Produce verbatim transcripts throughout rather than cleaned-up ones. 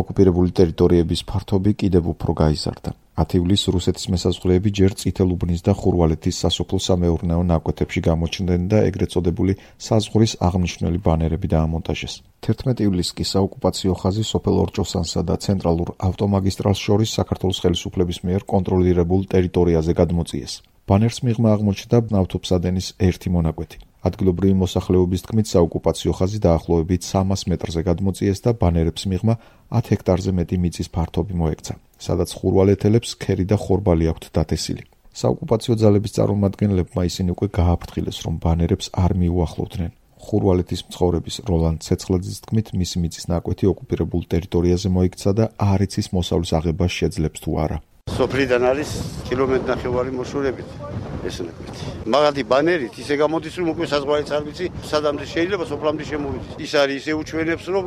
ოკუპირებული ტერიტორიების ფართობი კიდევ უფრო გაიზარდა. ათი ივლისს რუსეთის მესაზღვრეები ჯერ წითელუბნის და ხურვალეთის სასოფლო-სამეურნეო ნაკვეთებში გამოჩნდნენ და ეგრეთ წოდებული საზღვრის აღნიშნული ბანერები დაამონტაჟეს. თერთმეტი ივლისს კი საოკუპაციო ხაზი სოფელ ორჭოსანსა და ცენტრალურ ავტომაგისტრალს შორის საქართველოს ხელისუფლების მიერ კონტროლირებულ ტერიტორიაზე გადმოწიეს. ბანერს მიღმა აღმოჩნდა ნავთობსადენის ერთი მონაკვეთი. ადგილობრივი მოსახლეობის თქმით, საოკუპაციო ხაზი დაახლოებით სამას მეტრზე გადმოწიეს და ბანერებს მიღმა ათ ჰექტარზე მეტი მიწის ფართობი მოექცა, სადაც ხურვალეთელებს ქერი და ხორბალი აქვთ დათესილი. საოკუპაციო ძალების წარმომადგენლებმა ისინი უკვე გააფრთხილეს, რომ ბანერებს არ მიუახლოვდნენ. ხურვალეთის მცხოვრების როლან ცეცხლაძის თქმით, მისი მიწის ნაკვეთი ოკუპირებულ ტერიტორიაზე მოიქცა და არ იცის მოსავლის აღებას შეძლებს თუ არა. სოფლიდან არის კილომეტრი ნახევარი მოშორებით ეს ნაკვეთი. მაგათი ბანერით ისე გამოდის, რომ უკვე საზღვარიც არ ვიცი, სადამდე შეიძლება სოფლამდე შემოვიდეს. ის არის ისე უჩვენებს, რომ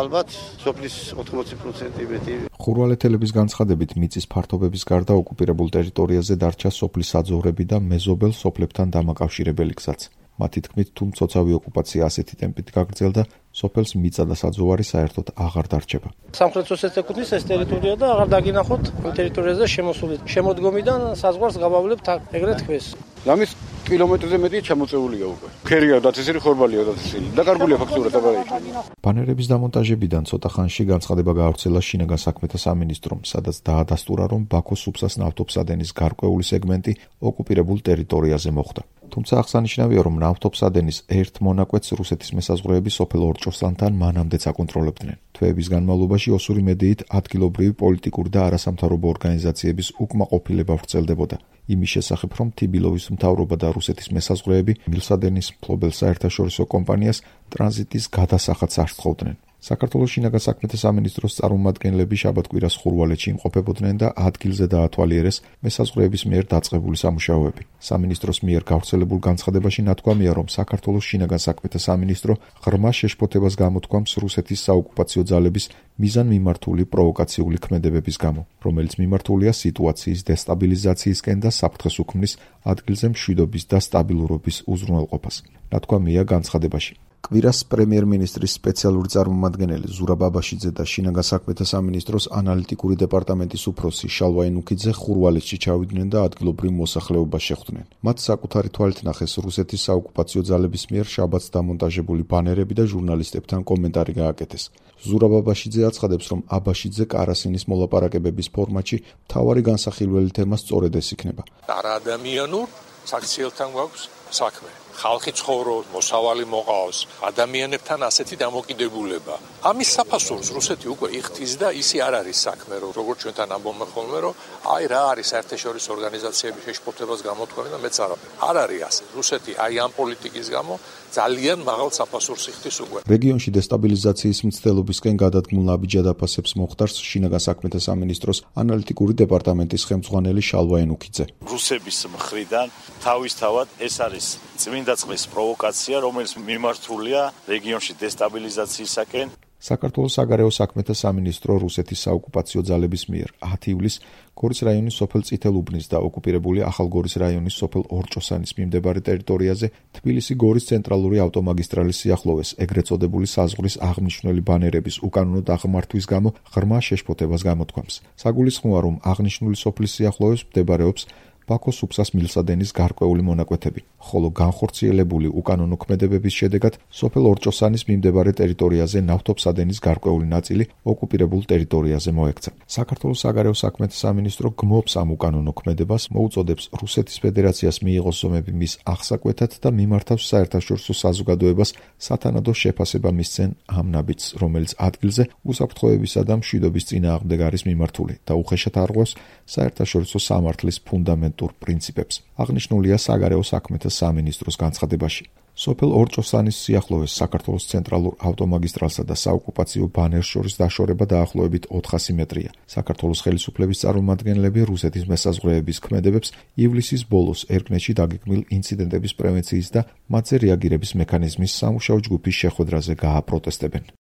ალბათ სოფლის ოთხმოცი პროცენტი მეტი. ხურვალეთელების განცხადებით, მიწის ფართობების გარდა ოკუპირებულ ტერიტორიაზე დარჩა სოფლის საძოვრები და მეზობელ სოფლებთან დამაკავშირებელი გზაც. მათი თქმით, თუ მცოცავი ოკუპაცია ასეთი ტემპით გაგრძელდა, სოფელს მიწა და საძოვარი საერთოდ აღარ დარჩება. სამხრეთ ოსეთის ეკუთვნის ეს ტერიტორია და აღარ დაგინახოთ იმ ტერიტორიაზე შემოსული. შემოდგომიდან საზღვარს გავავლებთ ეგრეთ თქოს. ამის კილომეტრზე მეტი ჩამოწეულია უკვე. ქერია დათესილი, ხორბალია დათესილი. დაკარგულია ფაქტურად აბარაიქნა. ბანერების დამონტაჟებიდან ცოტა ხანში განცხადება გაავრცელა შინაგან საქმეთა სამინისტრომ, სადაც დაადასტურა, რომ ბაქოს სუფსას ნავთობსადენის გარკვეული სეგმენტი ოკუპირებულ ტერიტორიაზე მოხვდა. თუმცა აღსანიშნავია, რომ ნავთობსადენის ერთ მონაკვეთს რუსეთის მესაზღვრეები სოფელ ორჭოსანთან მანამდეც აკონტროლებდნენ. თვეების განმავლობაში ოსური მედიით ადგილობრივი პოლიტიკური და არასამთავრობო ორგანიზაციების უკმაყოფილება ვრცელდებოდა. იმის შესახებ, რომ თიბილოვის მთავრობა და რუსეთის მესაზღვრეები მილსადენის მფლობელ საერთაშორისო კომპანიას ტრანზიტის გადასახადს არ სთხოვდნენ. საქართველოს შინაგან საქმეთა სამინისტროს წარმომადგენლები შაბათ-კვირას ხურვალეთში იმყოფებოდნენ და ადგილზე დაათვალიერეს მესაზღვრეების მიერ დაწყებული სამუშაოები. სამინისტროს მიერ გავრცელებულ განცხადებაში ნათქვამია, რომ საქართველოს შინაგან საქმეთა სამინისტრო ღრმა შეშფოთებას გამოთქვამს რუსეთის საოკუპაციო ძალების მიზანმიმართული პროვოკაციული ქმედებების გამო, რომელიც მიმართულია სიტუაციის დესტაბილიზაციისკენ და საფრთხეს უქმნის ადგილზე მშვიდობის და სტაბილურობის უზრუნველყოფას. ნათქვამია განცხადებაში. კვირას პრემიერ-მინისტრის სპეციალური წარმომადგენელი ზურაბ ბაბაშიძე და შინაგან საქმეთა სამინისტროს ანალიტიკური დეპარტამენტის უფროსი შალვა ენუქიძე ხურვალეთში ჩავიდნენ და ადგილობრივ მოსახლეობას შეხვდნენ. მათ საკუთარი თვალით ნახეს რუსეთის საოკუპაციო ძალების მიერ შაბათს დამონტაჟებული ბანერები და ჟურნალისტებთან კომენტარი გააკეთეს. ზურაბ ბაბაშიძე აცხადებს, რომ აბაშიძე კარასინის მოლაპარაკებების ფორმატში მთავარი განსახილველი თემა სწორედ ეს იქნება. არაადამიანურ საქციელთან გვაქვს საქმე. ხალხი ცხოვრობს, მოსავალი მოყავს, ადამიანებთან ასეთი დამოკიდებულება. ამის საფასურს რუსეთი უკვე იხდის და ისი არ არის საქმე, რომ როგორც ჩვენთან ამბობენ ხოლმე, რომ აი რა არის საერთაშორისო ორგანიზაციების შეშფოთებას გამოთქვამი და მეც არაფერი. არ არის ასე. რუსეთი აი ამ პოლიტიკის გამო ძალიან მაღალ საფასურს იხდის უკვე. რეგიონში დესტაბილიზაციის მცდელობისკენ გადადგმულ ნაბიჯად აფასებს მოხდარს შინაგან საქმეთა სამინისტროს ანალიტიკური დეპარტამენტის ხელმძღვანელი შალვა ენუქიძე. რუსების მხრიდან თავისთავად ეს არის წმინდა წყლის პროვოკაცია, რომელიც მიმართულია რეგიონში დესტაბილიზაციისაკენ. საქართველოს საგარეო საქმეთა სამინისტრო რუსეთის საოკუპაციო ძალების მიერ ათი ივლისს გორის რაიონის სოფელ წითელუბნის და ოკუპირებული ახალგორის რაიონის სოფელ ორჭოსანის მიმდებარე ტერიტორიაზე თბილისი-გორის ცენტრალური ავტომაგისტრალის სიახლოვეს ეგრეთ წოდებული საზღვრის აღნიშნული ბანერების უკანონო დაღმართვის გამო ღრმა შეშფოთებას გამოთქვამს. საგულისხმოა, რომ აღნიშნული სოფლის სიახლოვეს მდებარეობს ბაქოს სუფსას მილსადენის გარკვეული მონაკვეთები, ხოლო განხორციელებული უკანონო ქმედებების შედეგად სოფელ ორჭოსანის მიმდებარე ტერიტორიაზე ნავთობსადენის გარკვეული ნაწილი ოკუპირებულ ტერიტორიაზე მოექცა. საქართველოს საგარეო საქმეთა სამინისტრო გმობს ამ უკანონო ქმედებას, მოუწოდებს რუსეთის ფედერაციას მიიღოს ზომები მის აღსაკვეთად და მიმართავს საერთაშორისო საზოგადოებას სათანადო შეფასება მისცენ ამ ნაბიჯს, რომელიც ადგილზე უსაფრთხოებისა და მშვიდობის წინააღმდეგ არის მიმართული და უხეშად არღვევს საერთაშორისო სამართლის ფუნდამენტ პრინციპებს. აღნიშნულია საგარეო საქმეთა სამინისტროს განცხადებაში. სოფელ ორჭოსანის სიახლოვეს საქართველოს ცენტრალურ ავტომაგისტრალსა და საოკუპაციო ბანერს შორის დაშორება დაახლოებით ოთხასი მეტრია. საქართველოს ხელისუფლების წარმომადგენლები რუსეთის მესაზღვრეების ქმედებებს ივლისის ბოლოს ერკნეთში დაგეგმილ ინციდენტების პრევენციის და მათზე რეაგირების მექანიზმის სამუშაო ჯგუფის შეხვედრაზე გააპროტესტებენ.